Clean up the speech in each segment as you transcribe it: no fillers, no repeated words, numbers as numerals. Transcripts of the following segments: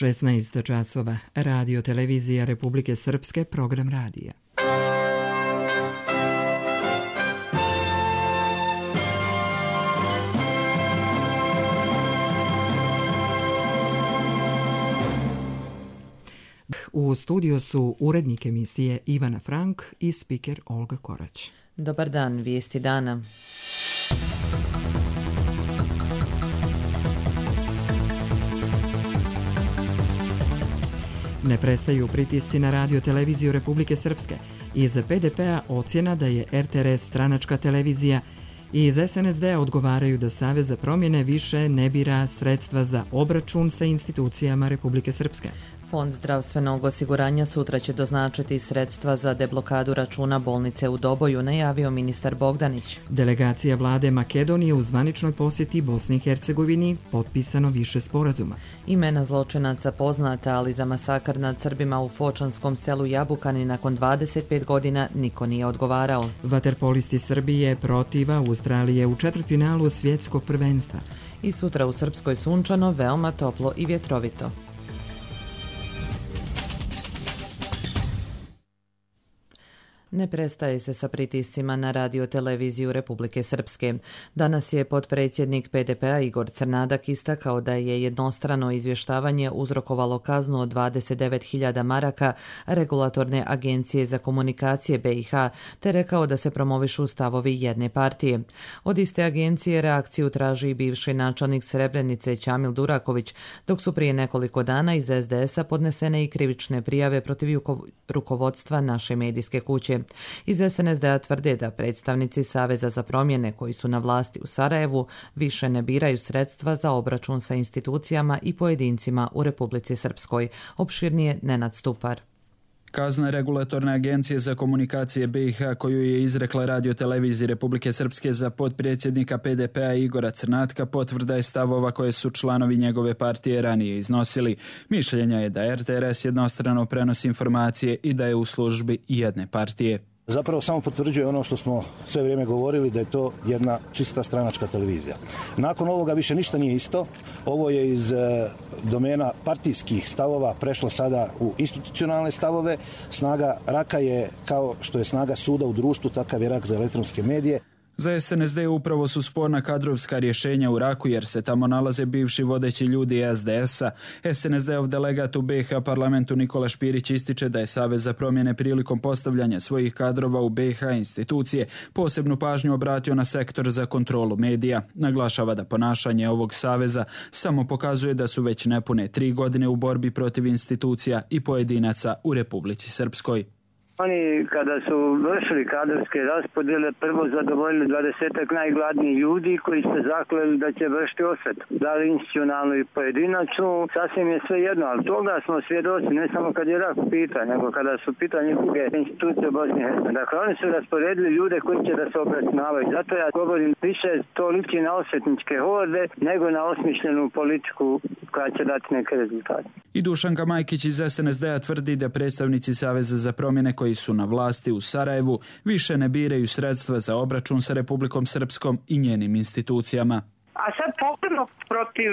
16 časova. Radio televizija Republike Srpske, program radija. U studiju su urednik emisije Ivana Frank i spiker Olga Korać. Dobar dan, vijesti dana. Ne prestaju pritisci na radio televiziju Republike Srpske. Iz PDP-a ocjena da je RTRS stranačka televizija i iz SNSD-a odgovaraju da Savez za promjene više ne bira sredstva za obračun sa institucijama Republike Srpske. Fond zdravstvenog osiguranja sutra će doznačiti sredstva za deblokadu računa bolnice u Doboju, najavio ministar Bogdanić. Delegacija vlade Makedonije u zvaničnoj posjeti Bosni i Hercegovini, potpisano više sporazuma. Imena zločinaca poznata, ali za masakr nad Srbima u fočanskom selu Jabukani nakon 25 godina niko nije odgovarao. Vaterpolisti Srbije protiv Australije u četvrtfinalu svjetskog prvenstva. I sutra u Srpskoj sunčano, veoma toplo i vjetrovito. Ne prestaje se sa pritiscima na radio televiziju Republike Srpske. Danas je potpredsjednik PDP-a Igor Crnadak istakao da je jednostrano izvještavanje uzrokovalo kaznu od 29.000 maraka Regulatorne agencije za komunikacije BiH, te rekao da se promovišu stavovi jedne partije. Od iste agencije reakciju traži i bivši načelnik Srebrenice Ćamil Duraković, dok su prije nekoliko dana iz SDS-a podnesene i krivične prijave protiv rukovodstva naše medijske kuće. Iz SNSD-a tvrde da predstavnici Saveza za promjene koji su na vlasti u Sarajevu više ne biraju sredstva za obračun sa institucijama i pojedincima u Republici Srpskoj. Opširnije Nenad Stupar. Kazna Regulatorne agencije za komunikacije BiH koju je izrekla radio televiziji Republike Srpske za potpredsjednika PDP-a Igora Crnatka potvrda je stavova koje su članovi njegove partije ranije iznosili. Mišljenja je da RTRS jednostrano prenosi informacije i da je u službi jedne partije. Zapravo samo potvrđuje ono što smo sve vrijeme govorili, da je to jedna čista stranačka televizija. Nakon ovoga više ništa nije isto. Ovo je iz domena partijskih stavova prešlo sada u institucionalne stavove. Snaga raka je kao što je snaga suda u društvu, takav je rak za elektronske medije. Za SNSD upravo su sporna kadrovska rješenja u Raku jer se tamo nalaze bivši vodeći ljudi SDS-a. SNSD-ov delegat u BiH parlamentu Nikola Špirić ističe da je Savez za promjene prilikom postavljanja svojih kadrova u BiH institucije posebnu pažnju obratio na sektor za kontrolu medija. Naglašava da ponašanje ovog saveza samo pokazuje da su već nepune 3 godine u borbi protiv institucija i pojedinaca u Republici Srpskoj. Oni kada su vršili kadrovske raspodjele prvo zadovoljili 20-ak najgladnijih ljudi koji se zakleli da će vršiti osvetu. Da li institucionalno i pojedinačno, sasvim je sve jedno, ali toga smo svjedoci ne samo kad je rak u pitanju, nego kada su pitanje druge institucije u Bosni i Hercegovini. Dakle, oni su rasporedili ljude koji će da se obračunavaju. Zato ja govorim, više to liči na osvetničke horde nego na osmišljenu politiku koja će dati neke rezultate. I Dušanka Majkić iz SNSD-a tvrdi da predstavnici Saveza za promjene koji su na vlasti u Sarajevu više ne biraju sredstva za obračun sa Republikom Srpskom i njenim institucijama. A sad posebno protiv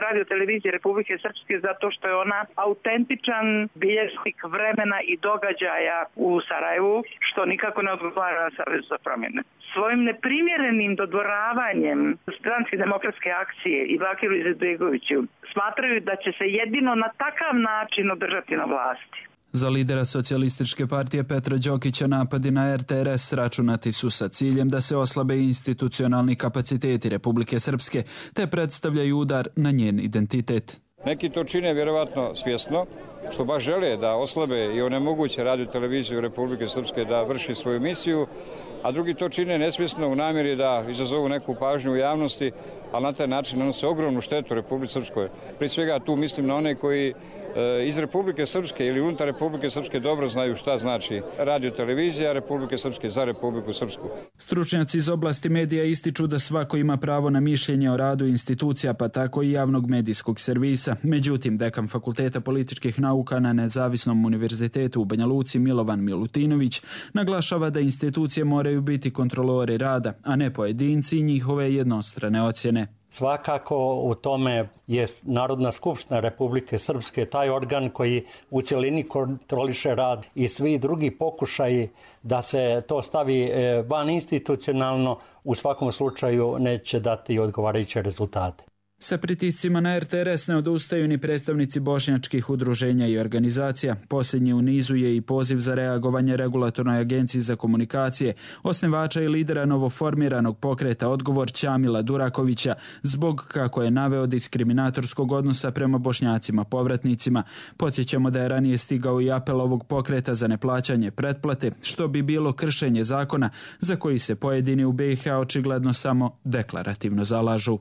radio televizije Republike Srpske zato što je ona autentičan bilježnik vremena i događaja u Sarajevu, što nikako ne odgovara na Savezu za promjene. Svojim neprimjerenim dodvoravanjem Stranke demokratske akcije i Bakiru Izetbegoviću smatraju da će se jedino na takav način održati na vlasti. Za lidera socijalističke partije Petra Đokića napadi na RTRS računati su sa ciljem da se oslabe institucionalni kapaciteti Republike Srpske, te predstavljaju udar na njen identitet. Neki to čine vjerovatno svjesno, što baš žele da oslabe i onemoguće radio televiziju Republike Srpske da vrši svoju misiju, a drugi to čine nesvjesno u namjeri da izazovu neku pažnju u javnosti, ali na taj način nanose ogromnu štetu Republike Srpskoj. Prije svega tu mislim na one koji iz Republike Srpske ili unutar Republike Srpske dobro znaju šta znači radio televizija Republike Srpske za Republiku Srpsku. Stručnjaci iz oblasti medija ističu da svako ima pravo na mišljenje o radu institucija, pa tako i javnog medijskog servisa. Međutim, dekan Fakulteta političkih nauka na Nezavisnom univerzitetu u Banja Luci Milovan Milutinović naglašava da institucije moraju biti kontrolori rada, a ne pojedinci i njihove jednostrane ocjene. Svakako u tome je Narodna skupština Republike Srpske taj organ koji u cjelini kontroliše rad i svi drugi pokušaji da se to stavi van institucionalno u svakom slučaju neće dati odgovarajuće rezultate. Sa pritiscima na RTRS ne odustaju ni predstavnici bošnjačkih udruženja i organizacija. Posljednji u nizu je i poziv za reagovanje Regulatornoj agenciji za komunikacije, osnivača i lidera novoformiranog pokreta Odgovor Ćamila Durakovića, zbog, kako je naveo, diskriminatorskog odnosa prema Bošnjacima povratnicima. Podsjećamo da je ranije stigao i apel ovog pokreta za neplaćanje pretplate, što bi bilo kršenje zakona za koji se pojedini u BiH očigledno samo deklarativno zalažu.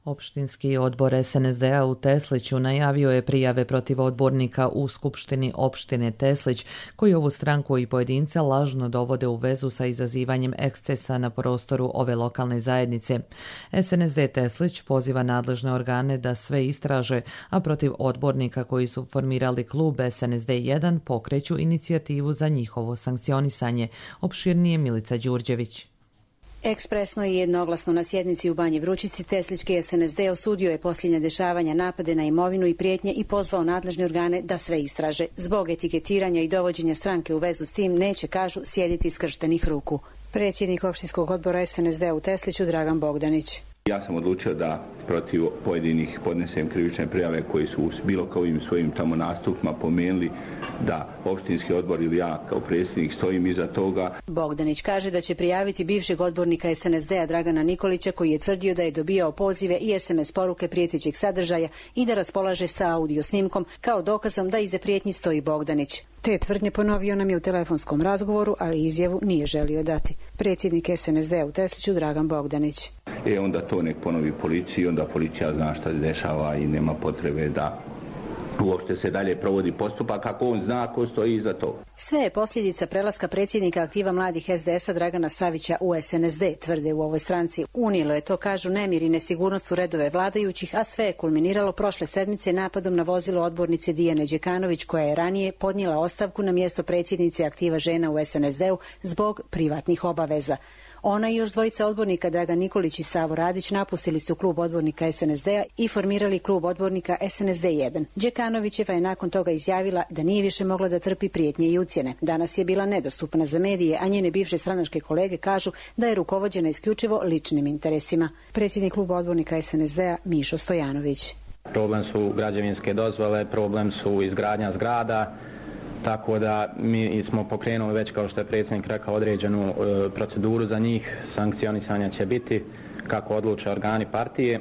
Opštinski odbor SNSD-a u Tesliću najavio je prijave protiv odbornika u Skupštini opštine Teslić, koji ovu stranku i pojedince lažno dovode u vezu sa izazivanjem ekscesa na prostoru ove lokalne zajednice. SNSD Teslić poziva nadležne organe da sve istraže, a protiv odbornika koji su formirali klub SNSD 1 pokreću inicijativu za njihovo sankcionisanje. Opširnije Milica Đurđević. Ekspresno i jednoglasno na sjednici u Banji Vrućici Teslički SNSD osudio je posljednja dešavanja, napade na imovinu i prijetnje i pozvao nadležne organe da sve istraže. Zbog etiketiranja i dovođenja stranke u vezu s tim neće, kažu, sjediti skrštenih ruku. Predsjednik opštinskog odbora SNSD u Tesliću Dragan Bogdanić. Ja sam odlučio da protiv pojedinih podnesem krivične prijave koji su bilo kojim svojim tamo nastupima pomenuli da opštinski odbor ili ja kao predsjednik stojim iza toga. Bogdanić kaže da će prijaviti bivšeg odbornika SNSD-a Dragana Nikolića koji je tvrdio da je dobijao pozive i SMS poruke prijetećeg sadržaja i da raspolaže sa audio snimkom kao dokazom da iza prijetnji stoji Bogdanić. Te tvrdnje ponovio nam je u telefonskom razgovoru, ali izjavu nije želio dati. Predsjednik SNSD-a u Tesliću Dragan Bogdanić. Onda to nek ponovi policiji, onda policija zna šta se dešava i nema potrebe da uopšte se dalje provodi postupak ako on zna ko stoji iza toga. Sve je posljedica prelaska predsjednika aktiva mladih SDS-a Dragana Savića u SNSD, tvrde u ovoj stranci. Unijelo je to, kažu, nemir i nesigurnost u redove vladajućih, a sve je kulminiralo prošle sedmice napadom na vozilo odbornice Dijane Đekanović, koja je ranije podnijela ostavku na mjesto predsjednice aktiva žena u SNSD-u zbog privatnih obaveza. Ona i još dvojica odbornika Dragan Nikolić i Savo Radić napustili su klub odbornika SNSD-a i formirali klub odbornika SNSD 1. Đekanovićeva je nakon toga izjavila da nije više mogla da trpi prijetnje i ucjene. Danas je bila nedostupna za medije, a njene bivše stranačke kolege kažu da je rukovođena isključivo ličnim interesima. Predsjednik kluba odbornika SNSD-a Mišo Stojanović. Problem su građevinske dozvole, problem su izgradnja zgrada, tako da mi smo pokrenuli već, kao što je predsjednik rekao, određenu proceduru za njih. Sankcionisanja će biti kako odluče organi partije.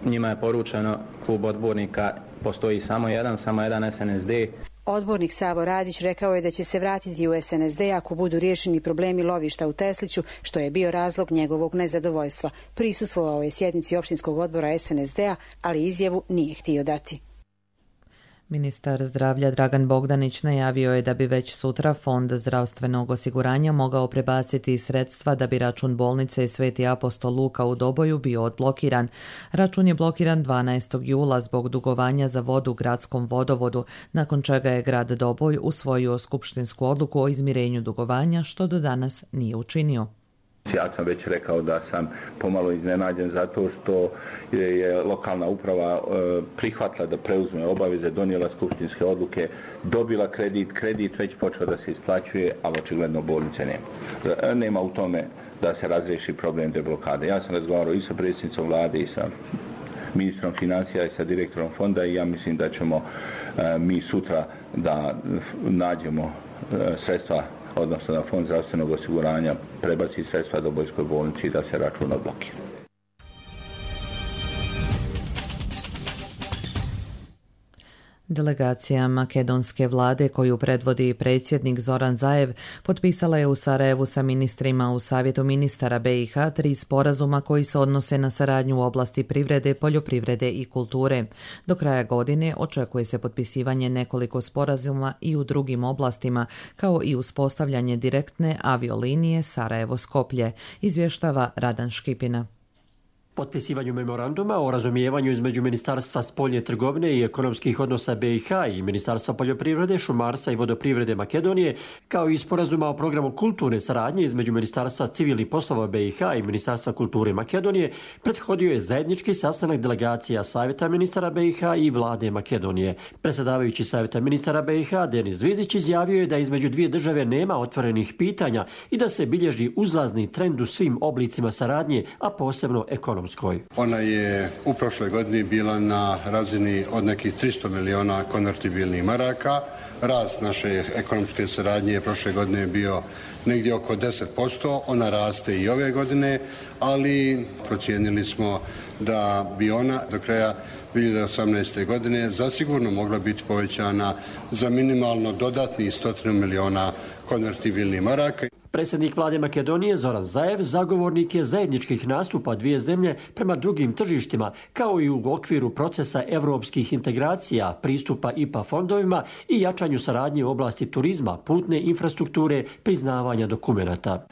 Njima je poručeno, klub odbornika postoji samo jedan SNSD. Odbornik Savo Radić rekao je da će se vratiti u SNSD ako budu riješeni problemi lovišta u Tesliću, što je bio razlog njegovog nezadovoljstva. Prisustvovao je sjednici opštinskog odbora SNSD-a, ali izjavu nije htio dati. Ministar zdravlja Dragan Bogdanić najavio je da bi već sutra Fond zdravstvenog osiguranja mogao prebaciti sredstva da bi račun bolnice Sveti apostol Luka u Doboju bio odblokiran. Račun je blokiran 12. jula zbog dugovanja za vodu gradskom vodovodu, nakon čega je grad Doboj usvojio skupštinsku odluku o izmirenju dugovanja, što do danas nije učinio. Ja sam već rekao da sam pomalo iznenađen zato što je lokalna uprava prihvatila da preuzme obaveze, donijela skupštinske odluke, dobila kredit već počeo da se isplaćuje, ali očigledno bolnice nema. Nema u tome da se razriješi problem deblokade. Ja sam razgovarao i sa predsjednicom vlade i sa ministrom financija i sa direktorom fonda i ja mislim da ćemo mi sutra da nađemo sredstva, odnosno da Fond zdravstvenog osiguranja prebaci sredstva Dobojskoj bolnici i da se račun odblokira. Delegacija makedonske vlade koju predvodi predsjednik Zoran Zaev potpisala je u Sarajevu sa ministrima u Savjetu ministara BiH 3 sporazuma koji se odnose na saradnju u oblasti privrede, poljoprivrede i kulture. Do kraja godine očekuje se potpisivanje nekoliko sporazuma i u drugim oblastima, kao i uspostavljanje direktne aviolinije Sarajevo-Skoplje, izvještava Radan Škipina. Potpisivanju memoranduma o razumijevanju između Ministarstva spoljne trgovine i ekonomskih odnosa BiH i Ministarstva poljoprivrede, šumarstva i vodoprivrede Makedonije, kao i sporazuma o programu kulturne saradnje između Ministarstva civilnih poslova BiH i Ministarstva kulture Makedonije, prethodio je zajednički sastanak delegacija Savjeta ministara BiH i vlade Makedonije. Predsjedavajući Savjeta ministara BiH Denis Zvizić izjavio je da između dvije države nema otvorenih pitanja i da se bilježi uzlazni trend u svim oblicima saradnje, a posebno ekonomskoj. Ona je u prošloj godini bila na razini od nekih 300 miliona konvertibilnih maraka. Rast naše ekonomske saradnje prošle godine je bio negdje oko 10%. Ona raste i ove godine, ali procijenili smo da bi ona do kraja 2018. godine zasigurno mogla biti povećana za minimalno dodatnih 100 miliona konvertibilnih maraka. Predsjednik vlade Makedonije Zoran Zaev zagovornik je zajedničkih nastupa dvije zemlje prema drugim tržištima, kao i u okviru procesa evropskih integracija, pristupa IPA fondovima i jačanju saradnje u oblasti turizma, putne infrastrukture, priznavanja dokumenata.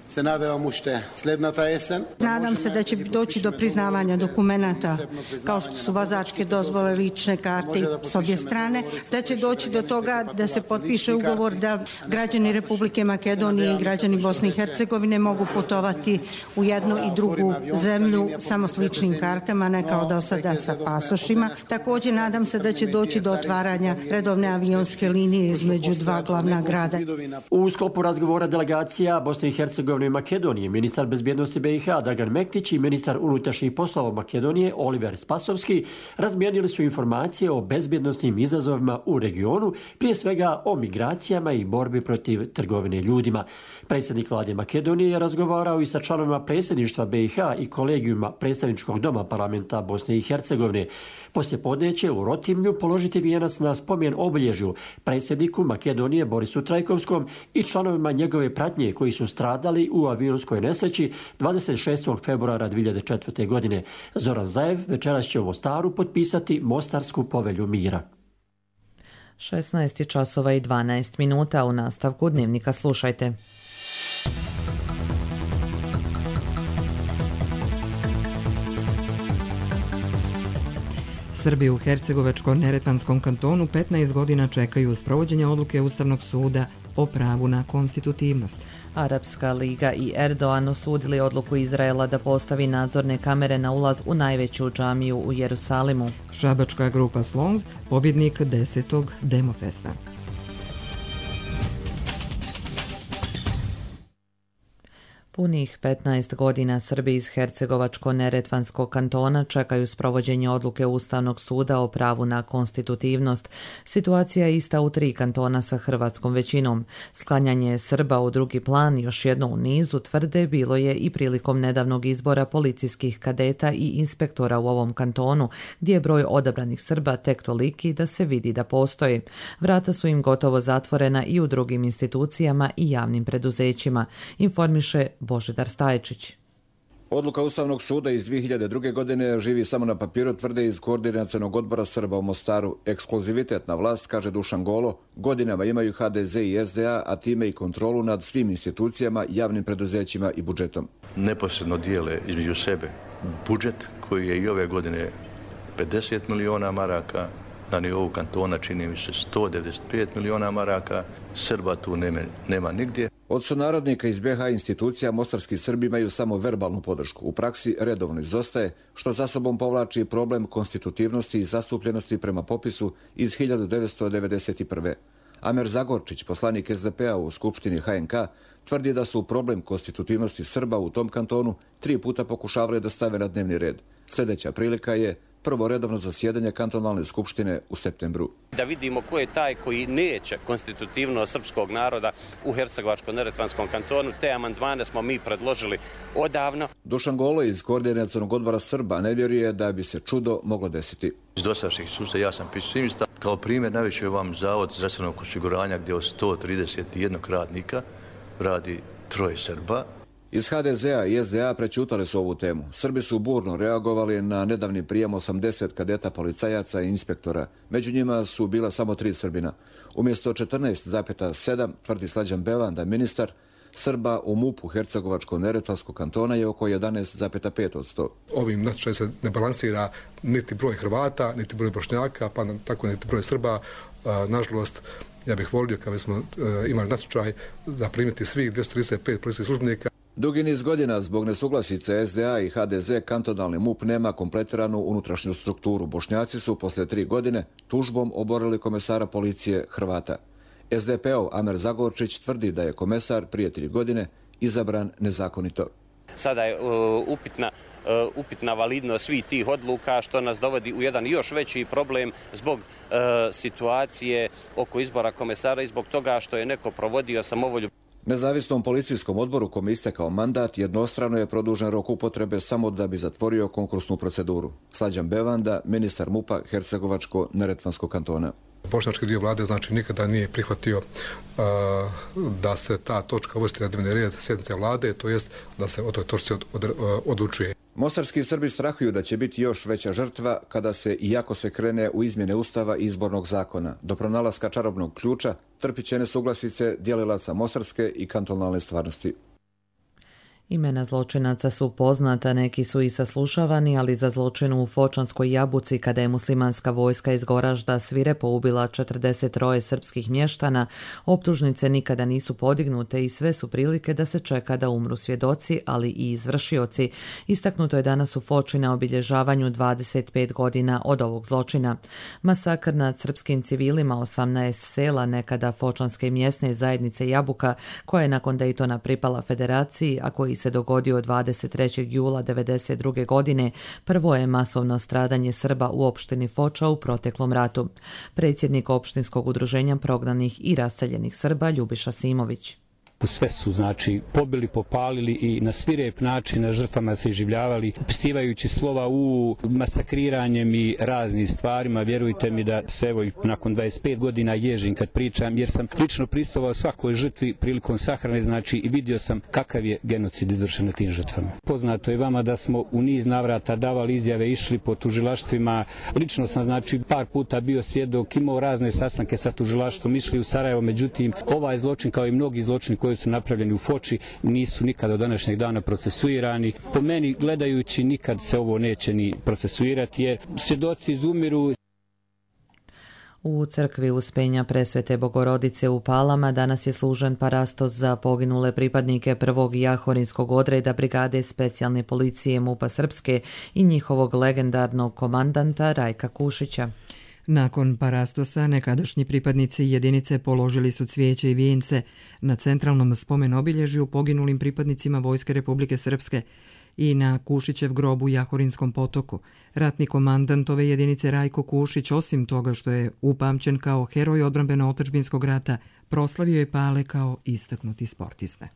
Nadam se da će doći do priznavanja dokumenata, kao što su vozačke dozvole, lične karte s obje strane, da će doći do toga da se potpiše ugovor da građani Republike Makedonije i građani Bosne i Hercegovine mogu putovati u jednu i drugu zemlju samo s ličnim kartama, ne kao do sada sa pasošima. Također nadam se da će doći do otvaranja redovne avionske linije između dva glavna grada. U sklopu razgovora delegacija Bosne i Hercegovine i Makedonije, ministar bezbjednosti BiH Dragan Mektić i ministar unutrašnjih poslova Makedonije Oliver Spasovski razmijenili su informacije o bezbjednosnim izazovima u regionu, prije svega o migracijama i borbi protiv trgovine ljudima. Predsjednik vlade Makedonije je razgovarao i sa članovima predsjedništva BiH i kolegijuma predstavničkog doma parlamenta Bosne i Hercegovine. Poslijepodne će u Rotimlju položiti vijenac na spomen obilježju predsjedniku Makedonije Borisu Trajkovskom i članovima njegove pratnje koji su stradali u avionskoj nesreći 26. februara 2004. godine. Zoran Zaev večeras će u Mostaru potpisati Mostarsku povelju mira. 16 časova i 12 minuta. U nastavku Dnevnika slušajte. Srbi u Hercegovačko-Neretvanskom kantonu 15 godina čekaju sprovođenje odluke Ustavnog suda o pravu na konstitutivnost. Arapska liga i Erdogan osudili odluku Izraela da postavi nadzorne kamere na ulaz u najveću džamiju u Jerusalimu. Šabačka grupa Slons, pobjednik 10. Demofesta. Punih 15 godina Srbi iz Hercegovačko-Neretvanskog kantona čekaju sprovođenje odluke Ustavnog suda o pravu na konstitutivnost. Situacija je ista u 3 kantona sa hrvatskom većinom. Sklanjanje Srba u drugi plan, još jedno u nizu, tvrde, bilo je i prilikom nedavnog izbora policijskih kadeta i inspektora u ovom kantonu, gdje je broj odabranih Srba tek toliki da se vidi da postoji. Vrata su im gotovo zatvorena i u drugim institucijama i javnim preduzećima, informiše Božidar Stajčić. Odluka Ustavnog suda iz 2002. godine živi samo na papiru, tvrde iz Koordinacionog odbora Srba u Mostaru. Ekskluzivitet na vlast, kaže Dušan Golo, godinama imaju HDZ i SDA, a time i kontrolu nad svim institucijama, javnim preduzećima i budžetom. Neposredno dijele između sebe budžet koji je i ove godine 50 miliona maraka, na nivou kantona čini mi se 195 miliona maraka, Srba tu nema nigdje. Od sunarodnika iz BiH institucija mostarski Srbi imaju samo verbalnu podršku. U praksi redovno izostaje, što za sobom povlači problem konstitutivnosti i zastupljenosti prema popisu iz 1991. Amer Zagorčić, poslanik SDP-a u Skupštini HNK, tvrdi da su problem konstitutivnosti Srba u tom kantonu 3 puta pokušavali da stave na dnevni red. Sljedeća prilika je prvo redovno zasjedanje kantonalne skupštine u septembru. Da vidimo ko je taj koji neće konstitutivnost srpskog naroda u Hercegovačko-Neretvanskom kantonu. Te amandmane smo mi predložili odavno. Dušan Golo iz Koordinacionog odbora Srba ne vjeruje da bi se čudo moglo desiti. Iz dosadašnjih sustava ja sam pesimista. Kao primjer navešću je vam Zavod zdravstvenog osiguranja gdje od 131 radnika radi 3 Srba. Iz HDZ-a i SDA prećutali su ovu temu. Srbi su burno reagovali na nedavni prijem 80 kadeta policajaca i inspektora. Među njima su bila samo 3 Srbina. Umjesto 14,7, tvrdi Slađan Bevan, da ministar, Srba u MUP-u Hercegovačko-neretvanskog kantona je oko 11,5%. Ovim natječajem se ne balansira niti broj Hrvata, niti broj Bošnjaka, pa tako niti broj Srba. Nažalost, ja bih volio kada bismo imali natječaj da primiti svih 235 policijskih službenika. Dugi niz godina zbog nesuglasice SDA i HDZ kantonalni MUP nema kompletiranu unutrašnju strukturu. Bošnjaci su poslije 3 godine tužbom oborili komesara policije Hrvata. SDP-ov Amer Zagorčić tvrdi da je komesar prije 3 godine izabran nezakonito. Sada je upitna validnost svih tih odluka, što nas dovodi u jedan još veći problem zbog situacije oko izbora komesara i zbog toga što je neko provodio samovolju. Nezavisnom policijskom odboru kome istekao mandat jednostrano je produžen rok upotrebe samo da bi zatvorio konkursnu proceduru. Slađan Bevanda, ministar MUP-a Hercegovačko-neretvanskog kantona. Bošnjački dio vlade znači nikada nije prihvatio da se ta točka uvrsti na dnevni red sjednice vlade, to jest da se o toj točci odlučuje. Mostarski Srbi strahuju da će biti još veća žrtva kada se, iako se krene u izmjene Ustava i izbornog zakona. Do pronalaska čarobnog ključa trpit će nesuglasice dijelilaca mostarske i kantonalne stvarnosti. Imena zločinaca su poznata, neki su i saslušavani, ali za zločin u Fočanskoj Jabuci, kada je muslimanska vojska iz Goražda svirepo ubila 43 srpskih mještana, optužnice nikada nisu podignute i sve su prilike da se čeka da umru svjedoci, ali i izvršioci. Istaknuto je danas u Foči na obilježavanju 25 godina od ovog zločina. Masakr nad srpskim civilima 18 sela nekada Fočanske mjesne zajednice Jabuka, koja je nakon Dejtona pripala federaciji, a koji se dogodio 23. jula 1992. godine, prvo je masovno stradanje Srba u opštini Foča u proteklom ratu. Predsjednik opštinskog udruženja prognanih i raseljenih Srba Ljubiša Simović. Sve su, pobili, popalili i na svirep način na žrtvama se iživljavali, upisivajući slova u masakriranjem i raznim stvarima. Vjerujte mi da se evo nakon 25 godina ježim kad pričam, jer sam lično pristovao svakoj žrtvi prilikom sahrane, i vidio sam kakav je genocid izvršen na tim žrtvama. Poznato je vama da smo u niz navrata davali izjave, išli po tužilaštvima. Lično sam, par puta bio svjedok, imao razne sastanke sa tužilaštvom, išli u Sarajevo, međutim, ovaj zločin, kao i mnogi zločini koji su napravljeni u Foči, nisu nikad do današnjeg dana procesuirani. Po meni, gledajući, nikad se ovo neće ni procesuirati, jer svjedoci izumiru. U crkvi Uspenja Presvete Bogorodice u Palama danas je služen parastos za poginule pripadnike prvog jahorinskog odreda Brigade specijalne policije MUP-a Srpske i njihovog legendarnog komandanta Rajka Kušića. Nakon parastosa nekadašnji pripadnici jedinice položili su cvijeće i vijence na centralnom spomen obilježju poginulim pripadnicima Vojske Republike Srpske i na Kušićev grob u Jahorinskom potoku. Ratni komandant ove jedinice Rajko Kušić, osim toga što je upamćen kao heroj odbrambeno-otadžbinskog rata, proslavio je Pale kao istaknuti sportista.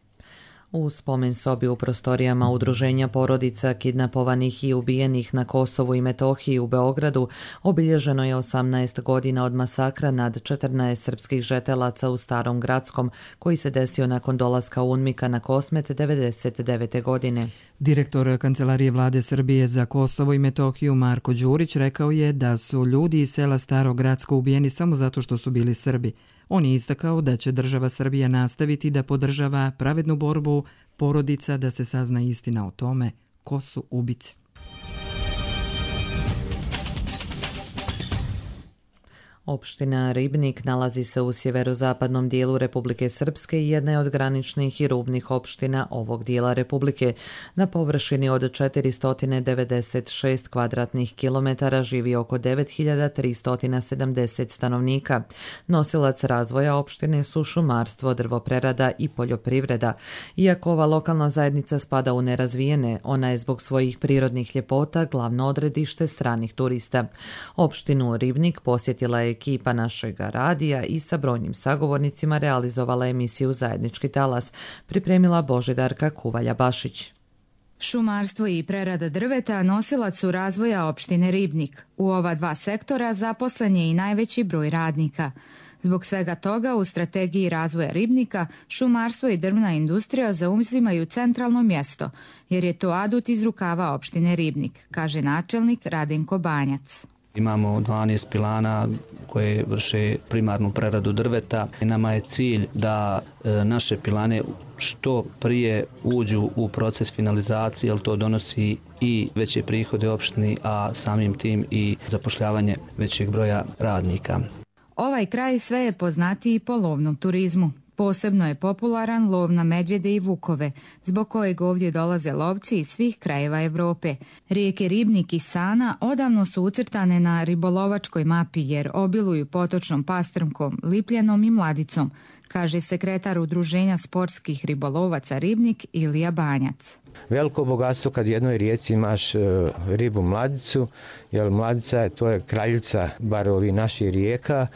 U spomen sobi u prostorijama Udruženja porodica kidnapovanih i ubijenih na Kosovu i Metohiji u Beogradu obilježeno je 18 godina od masakra nad 14 srpskih žetelaca u Starom Gradskom, koji se desio nakon dolaska UNMIK-a na Kosmet 1999. godine. Direktor Kancelarije vlade Srbije za Kosovo i Metohiju Marko Đurić rekao je da su ljudi iz sela Staro Gradsko ubijeni samo zato što su bili Srbi. On je istakao da će država Srbija nastaviti da podržava pravednu borbu porodica da se sazna istina o tome ko su ubice. Opština Ribnik nalazi se u sjeverozapadnom dijelu Republike Srpske i jedna je od graničnih i rubnih opština ovog dijela Republike. Na površini od 496 kvadratnih kilometara živi oko 9370 stanovnika. Nosilac razvoja opštine su šumarstvo, drvoprerada i poljoprivreda. Iako ova lokalna zajednica spada u nerazvijene, ona je zbog svojih prirodnih ljepota glavno odredište stranih turista. Opštinu Ribnik posjetila je ekipa našeg radija i sa brojnim sagovornicima realizovala emisiju Zajednički talas, pripremila Božidarka Kuvalja-Bašić. Šumarstvo i prerada drveta nosilac su razvoja opštine Ribnik. U ova dva sektora zaposlen je i najveći broj radnika. Zbog svega toga u strategiji razvoja Ribnika šumarstvo i drvna industrija zauzimaju centralno mjesto, jer je to adut iz rukava opštine Ribnik, kaže načelnik Radenko Banjac. Imamo 12 pilana koje vrše primarnu preradu drveta. Nama je cilj da naše pilane što prije uđu u proces finalizacije, jer to donosi i veće prihode opštini, a samim tim i zapošljavanje većeg broja radnika. Ovaj kraj sve je poznatiji po lovnom turizmu. Posebno je popularan lov na medvjede i vukove, zbog kojeg ovdje dolaze lovci iz svih krajeva Europe. Rijeke Ribnik i Sana odavno su ucrtane na ribolovačkoj mapi jer obiluju potočnom pastrmkom, lipljenom i mladicom, kaže sekretar Udruženja sportskih ribolovaca Ribnik Ilija Banjac. Veliko bogatstvo kad u jednoj rijeci imaš ribu mladicu, jer mladica to je kraljica bar ovih naših rijeka.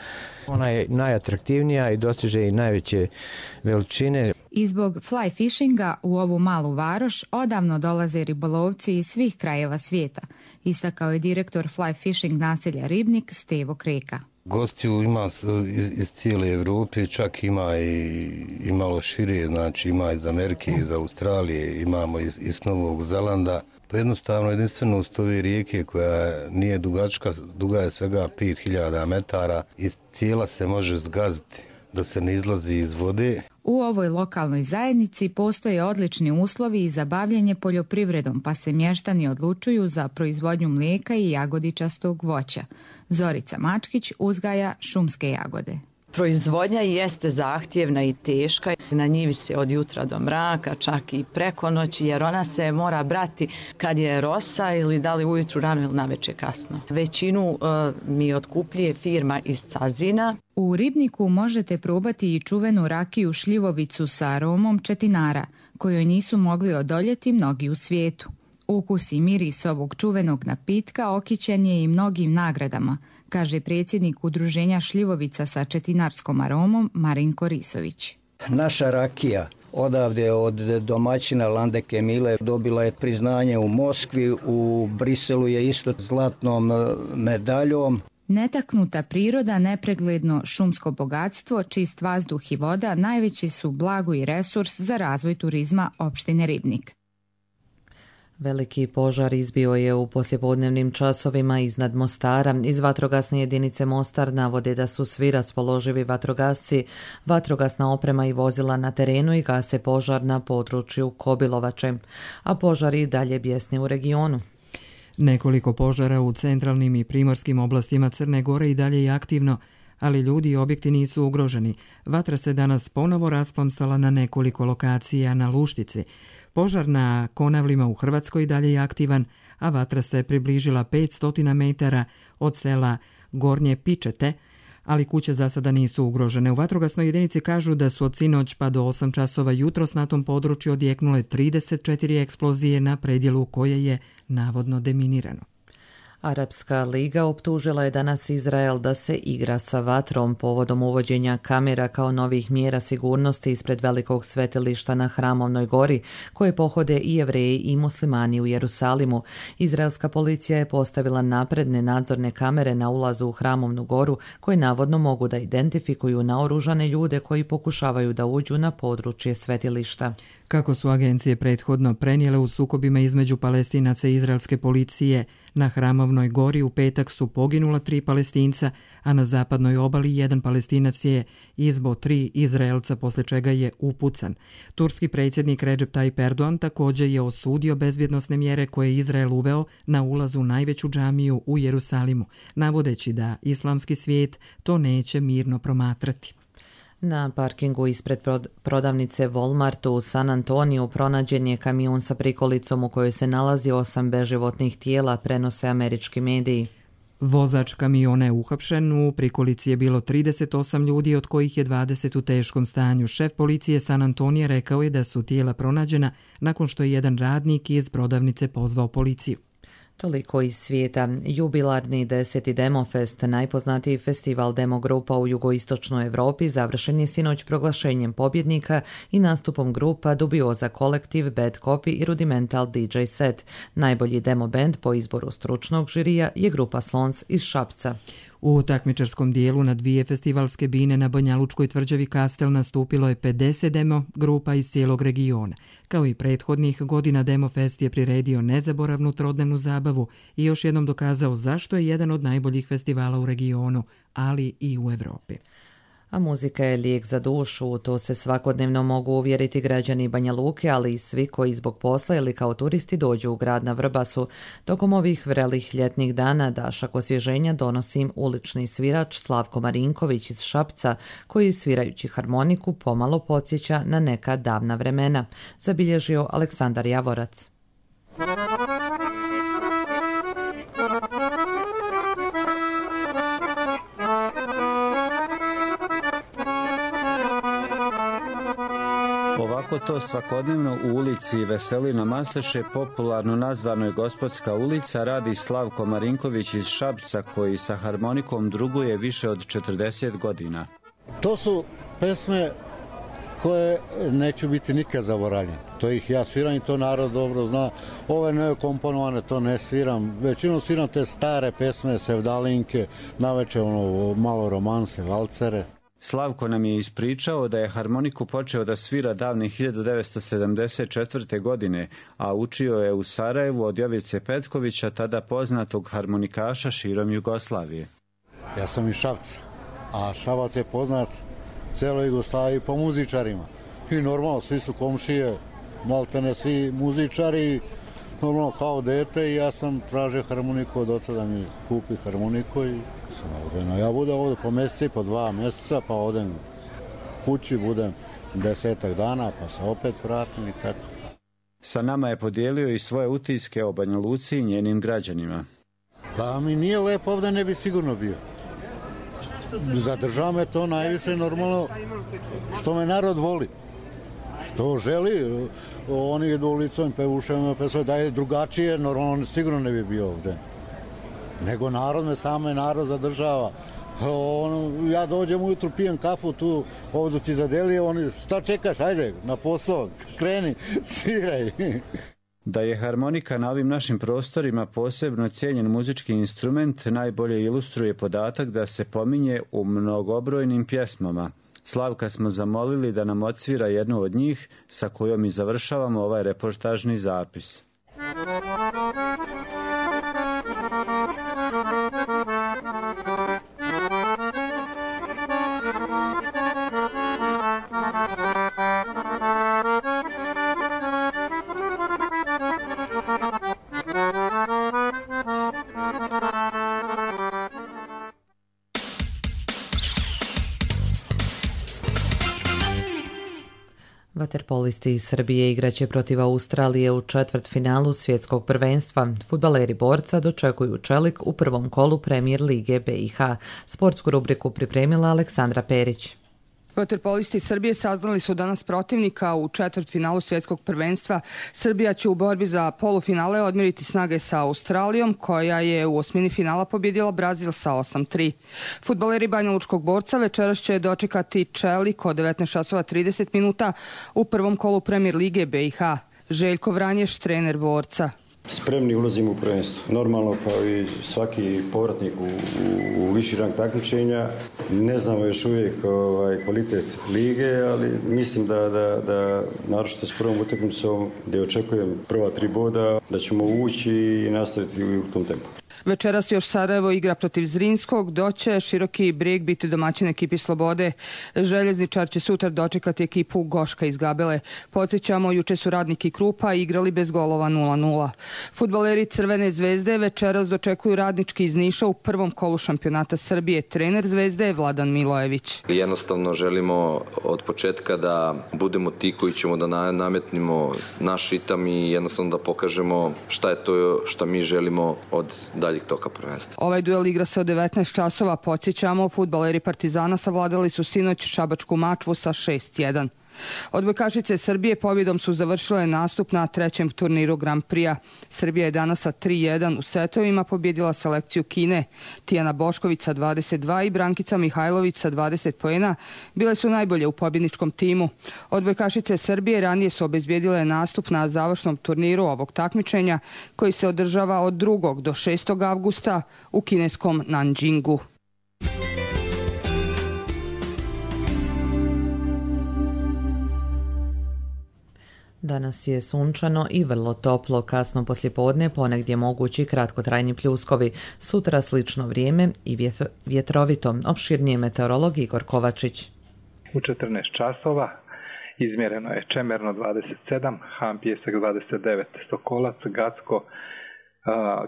Ona je najatraktivnija i dostiže i najveće veličine. I zbog fly fishinga u ovu malu varoš odavno dolaze ribolovci iz svih krajeva svijeta, istakao je direktor fly fishing naselja Ribnik Stevo Kreka. Gostiju ima iz cijele Europe, čak ima i malo šire, znači ima iz Amerike, iz Australije, imamo iz Novog Zelanda. To je jednostavno jedinstvenost ove rijeke koja nije dugačka, duga je svega 5000 metara i cijela se može zgaziti da se ne izlazi iz vode. U ovoj lokalnoj zajednici postoje odlični uslovi za bavljenje poljoprivredom, pa se mještani odlučuju za proizvodnju mlijeka i jagodičastog voća. Zorica Mačkić uzgaja šumske jagode. Proizvodnja jeste zahtjevna i teška. Na njivi se od jutra do mraka, čak i preko noći, jer ona se mora brati kad je rosa ili da li ujutru rano ili navečer kasno. Većinu mi otkupljuje firma iz Cazina. U Ribniku možete probati i čuvenu rakiju šljivovicu sa aromom četinara, kojoj nisu mogli odoljeti mnogi u svijetu. Ukus i miris ovog čuvenog napitka okićen je i mnogim nagradama, kaže predsjednik Udruženja šljivovica sa četinarskom aromom Marinko Risović. Naša rakija odavde od domaćina Landeke Mile dobila je priznanje u Moskvi, u Briselu je isto zlatnom medaljom. Netaknuta priroda, nepregledno šumsko bogatstvo, čist vazduh i voda najveći su blago i resurs za razvoj turizma opštine Ribnik. Veliki požar izbio je u poslijepodnevnim časovima iznad Mostara. Iz vatrogasne jedinice Mostar navode da su svi raspoloživi vatrogasci, vatrogasna oprema i vozila na terenu i gase požar na području Kobilovače, a požar i dalje bjesni u regionu. Nekoliko požara u centralnim i primorskim oblastima Crne Gore i dalje je aktivno, ali ljudi i objekti nisu ugroženi. Vatra se danas ponovo rasplamsala na nekoliko lokacija na Luštici. Požar na Konavlima u Hrvatskoj dalje je aktivan, a vatra se približila 500 metara od sela Gornje Pičete, ali kuće za sada nisu ugrožene. U vatrogasnoj jedinici kažu da su od sinoć pa do 8 časova jutros na tom području odjeknule 34 eksplozije na predjelu koje je navodno deminirano. Arapska liga optužila je danas Izrael da se igra sa vatrom povodom uvođenja kamera kao novih mjera sigurnosti ispred velikog svetilišta na Hramovnoj gori, koje pohode i Jevreji i muslimani u Jerusalimu. Izraelska policija je postavila napredne nadzorne kamere na ulazu u Hramovnu goru, koje navodno mogu da identifikuju naoružane ljude koji pokušavaju da uđu na područje svetilišta. Kako su agencije prethodno prenijele, u sukobima između Palestinaca i izraelske policije na Hramovnoj gori u petak su poginula 3 Palestinca, a na zapadnoj obali 1 Palestinac je izbo 3 Izraelca, posle čega je upucan. Turski predsjednik Recep Tayyip Erdogan također je osudio bezbjednosne mjere koje je Izrael uveo na ulazu u najveću džamiju u Jerusalimu, navodeći da islamski svijet to neće mirno promatrati. Na parkingu ispred prodavnice Walmartu u San Antoniju pronađen je kamion sa prikolicom u kojoj se nalazi 8 beživotnih tijela, prenose američki mediji. Vozač kamiona je uhapšen, u prikolici je bilo 38 ljudi, od kojih je 20 u teškom stanju. Šef policije San Antonija rekao je da su tijela pronađena nakon što je jedan radnik iz prodavnice pozvao policiju. Toliko iz svijeta. Jubilarni 10. Demofest, najpoznatiji festival demogrupa u jugoistočnoj Europi, završen je sinoć proglašenjem pobjednika i nastupom grupa Dubioza Kolektiv, Bad Copy i Rudimental DJ Set. Najbolji demo band po izboru stručnog žirija je grupa Slons iz Šapca. U takmičarskom dijelu na 2 festivalske bine na Banjalučkoj tvrđavi Kastel nastupilo je 50 demo grupa iz cijelog regiona. Kao i prethodnih godina, Demo Fest je priredio nezaboravnu trodnevnu zabavu i još jednom dokazao zašto je jedan od najboljih festivala u regionu, ali i u Evropi. A muzika je lijek za dušu, to se svakodnevno mogu uvjeriti građani Banja Luke, ali i svi koji zbog posla ili kao turisti dođu u grad na Vrbasu. Tokom ovih vrelih ljetnih dana dašak osvježenja donosi im ulični svirač Slavko Marinković iz Šapca, koji svirajući harmoniku pomalo podsjeća na neka davna vremena, zabilježio Aleksandar Javorac. Ovako to svakodnevno u ulici Veselina Masleše, popularno nazvanoj Gospodska ulica, radi Slavko Marinković iz Šapca, koji sa harmonikom druguje više od 40 godina. To su pesme koje neću biti nikad zaboravljene. To ih ja sviram i to narod dobro zna. Ove nekomponovane to ne sviram. Većinom sviram te stare pesme, sevdalinke, naveče malo romanse, valcere. Slavko nam je ispričao da je harmoniku počeo da svira davne 1974. godine, a učio je u Sarajevu od Jovice Petkovića, tada poznatog harmonikaša širom Jugoslavije. Ja sam iz Šapca, a Šabac je poznat celoj Jugoslaviji po muzičarima. I normalno, svi su komšije, maltene svi muzičari, normalno kao dete, i ja sam tražio harmoniku od oca da mi kupi harmoniku i sam ovdje. No, ja budem ovdje po mjeseci, po 2 mjeseca, pa odem kući, budem 10 dana, pa se opet vratim i tako. Sa nama je podijelio i svoje utiske o Banja Luci i njenim građanima. Da mi nije lepo ovdje, ne bi sigurno bio. Zadržava me to najviše normalno što me narod voli. Što želi, oni idu ulicom, pevušemo, da je drugačije, normalno sigurno ne bi bio ovdje. Nego narod me same narod zadržava. Ja dođem ujutru, pijem kafu tu, ovdje Cizadelije, oni, šta čekaš, ajde, na posao, kreni, sviraj. Da je harmonika na ovim našim prostorima posebno cijenjen muzički instrument, najbolje ilustruje podatak da se pominje u mnogobrojnim pjesmama. Slavka smo zamolili da nam odsvira jednu od njih, sa kojom i završavamo ovaj reportažni zapis. Vaterpolisti iz Srbije igraće protiv Australije u četvrtfinalu svjetskog prvenstva. Fudbaleri Borca dočekuju Čelik u prvom kolu Premier lige BiH. Sportsku rubriku pripremila Aleksandra Perić. Vaterpolisti Srbije saznali su danas protivnika u četvrtfinalu svjetskog prvenstva. Srbija će u borbi za polufinale odmjeriti snage sa Australijom, koja je u osmini finala pobjedila Brazil sa 8-3. Fudbaleri Banjalučkog Borca večeras će dočekati Čelik od 19:30 minuta u prvom kolu Premier lige BiH. Željko Vranješ, trener Borca. Spremni ulazimo u prvenstvo. Normalno, kao i svaki povratnik u viši rang takmičenja, ne znamo još uvijek kvalitet lige, ali mislim da naročito s prvom utakmicom, gdje očekujem prva 3 boda, da ćemo ući i nastaviti u tom tempu. Večeras još Sarajevo igra protiv Zrinskog, dok će Široki Brijeg biti domaćin ekipi Slobode. Željezničar će sutra dočekati ekipu Goška iz Gabele. Podsjećamo, juče su Radnik i Krupa igrali bez golova 0-0. Fudbaleri Crvene zvezde večeras dočekuju Radnički iz Niša u prvom kolu šampionata Srbije. Trener Zvezde je Vladan Milojević. Jednostavno želimo od početka da budemo ti koji ćemo da nametnimo naš ritam i jednostavno da pokažemo šta je to što mi želimo od daljih toka prvenstva. Ovaj duel igra se od 19 časova. Podsjećamo, fudbaleri Partizana savladali su sinoć Šabačku Mačvu sa 6-1. Odbojkašice Srbije pobjedom su završile nastup na trećem turniru Grand Prix-a. Srbija je danas sa 3-1 u setovima pobjedila selekciju Kine. Tijana Bošković sa 22 i Brankica Mihajlović sa 20 poena bile su najbolje u pobjedničkom timu. Odbojkašice Srbije ranije su obezbijedile nastup na završnom turniru ovog takmičenja, koji se održava od 2. do 6. avgusta u kineskom Nanjingu. Danas je sunčano i vrlo toplo, kasno poslijepodne ponegdje mogući kratkotrajni pljuskovi. Sutra slično vrijeme i vjetrovito. Opširnije meteorolog Igor Kovačić. U 14 časova izmjereno je Čemerno 27, Han Pijesak 29, Sokolac, Gacko,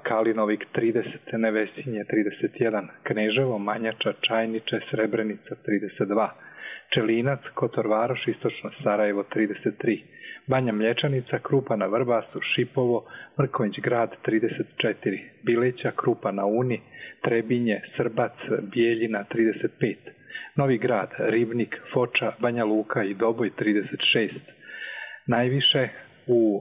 Kalinovik 30, Nevesinje 31, Kneževo, Manjača, Čajniče, Srebrenica 32, Čelinac, Kotor Varoš, Istočno Sarajevo 33, Banja Mlječanica, Krupa na Vrbasu, Šipovo, Mrkonjić Grad 34, Bileća, Krupa na Uni, Trebinje, Srbac, Bijeljina 35, Novi Grad, Ribnik, Foča, Banja Luka i Doboj 36, najviše u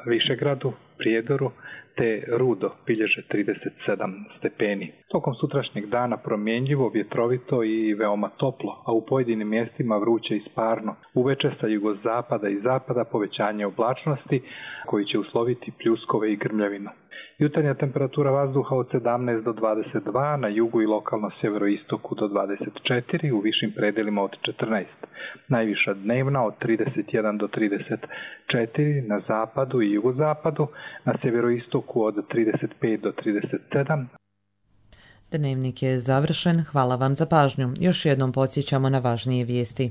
Višegradu, Prijedoru te Rudo bilježe 37 stepeni. Tokom sutrašnjeg dana promjenjivo, vjetrovito i veoma toplo, a u pojedinim mjestima vruće i sparno. Uveče sa jugozapada i zapada povećanje oblačnosti koji će usloviti pljuskove i grmljavinu. Jutarnja temperatura vazduha od 17 do 22, na jugu i lokalno sjeveroistoku do 24, u višim predelima od 14. Najviša dnevna od 31 do 34, na zapadu i jugozapadu, na sjeveroistoku od 35 do 37. Dnevnik je završen, hvala vam za pažnju. Još jednom podsjećamo na važnije vijesti.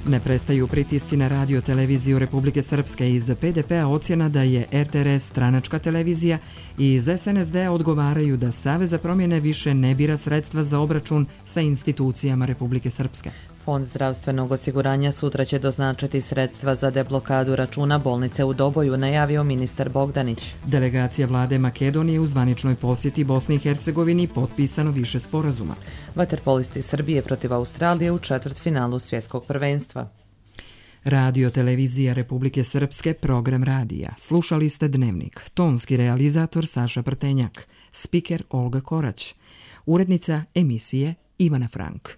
Ne prestaju pritisci na radio televiziju Republike Srpske. Iz PDP-a ocjena da je RTRS stranačka televizija i iz SNSD-a odgovaraju da Savez za promjene više ne bira sredstva za obračun sa institucijama Republike Srpske. Fond zdravstvenog osiguranja sutra će doznačiti sredstva za deblokadu računa bolnice u Doboju, najavio ministar Bogdanić. Delegacija vlade Makedonije u zvaničnoj posjeti Bosni i Hercegovini potpisano više sporazuma. Vaterpolisti Srbije protiv Australije u četvrtfinalu svjetskog prvenstva. Radio televizija Republike Srpske, program radija. Slušali ste Dnevnik. Tonski realizator Saša Prtenjak. Spiker Olga Korać. Urednica emisije Ivana Frank.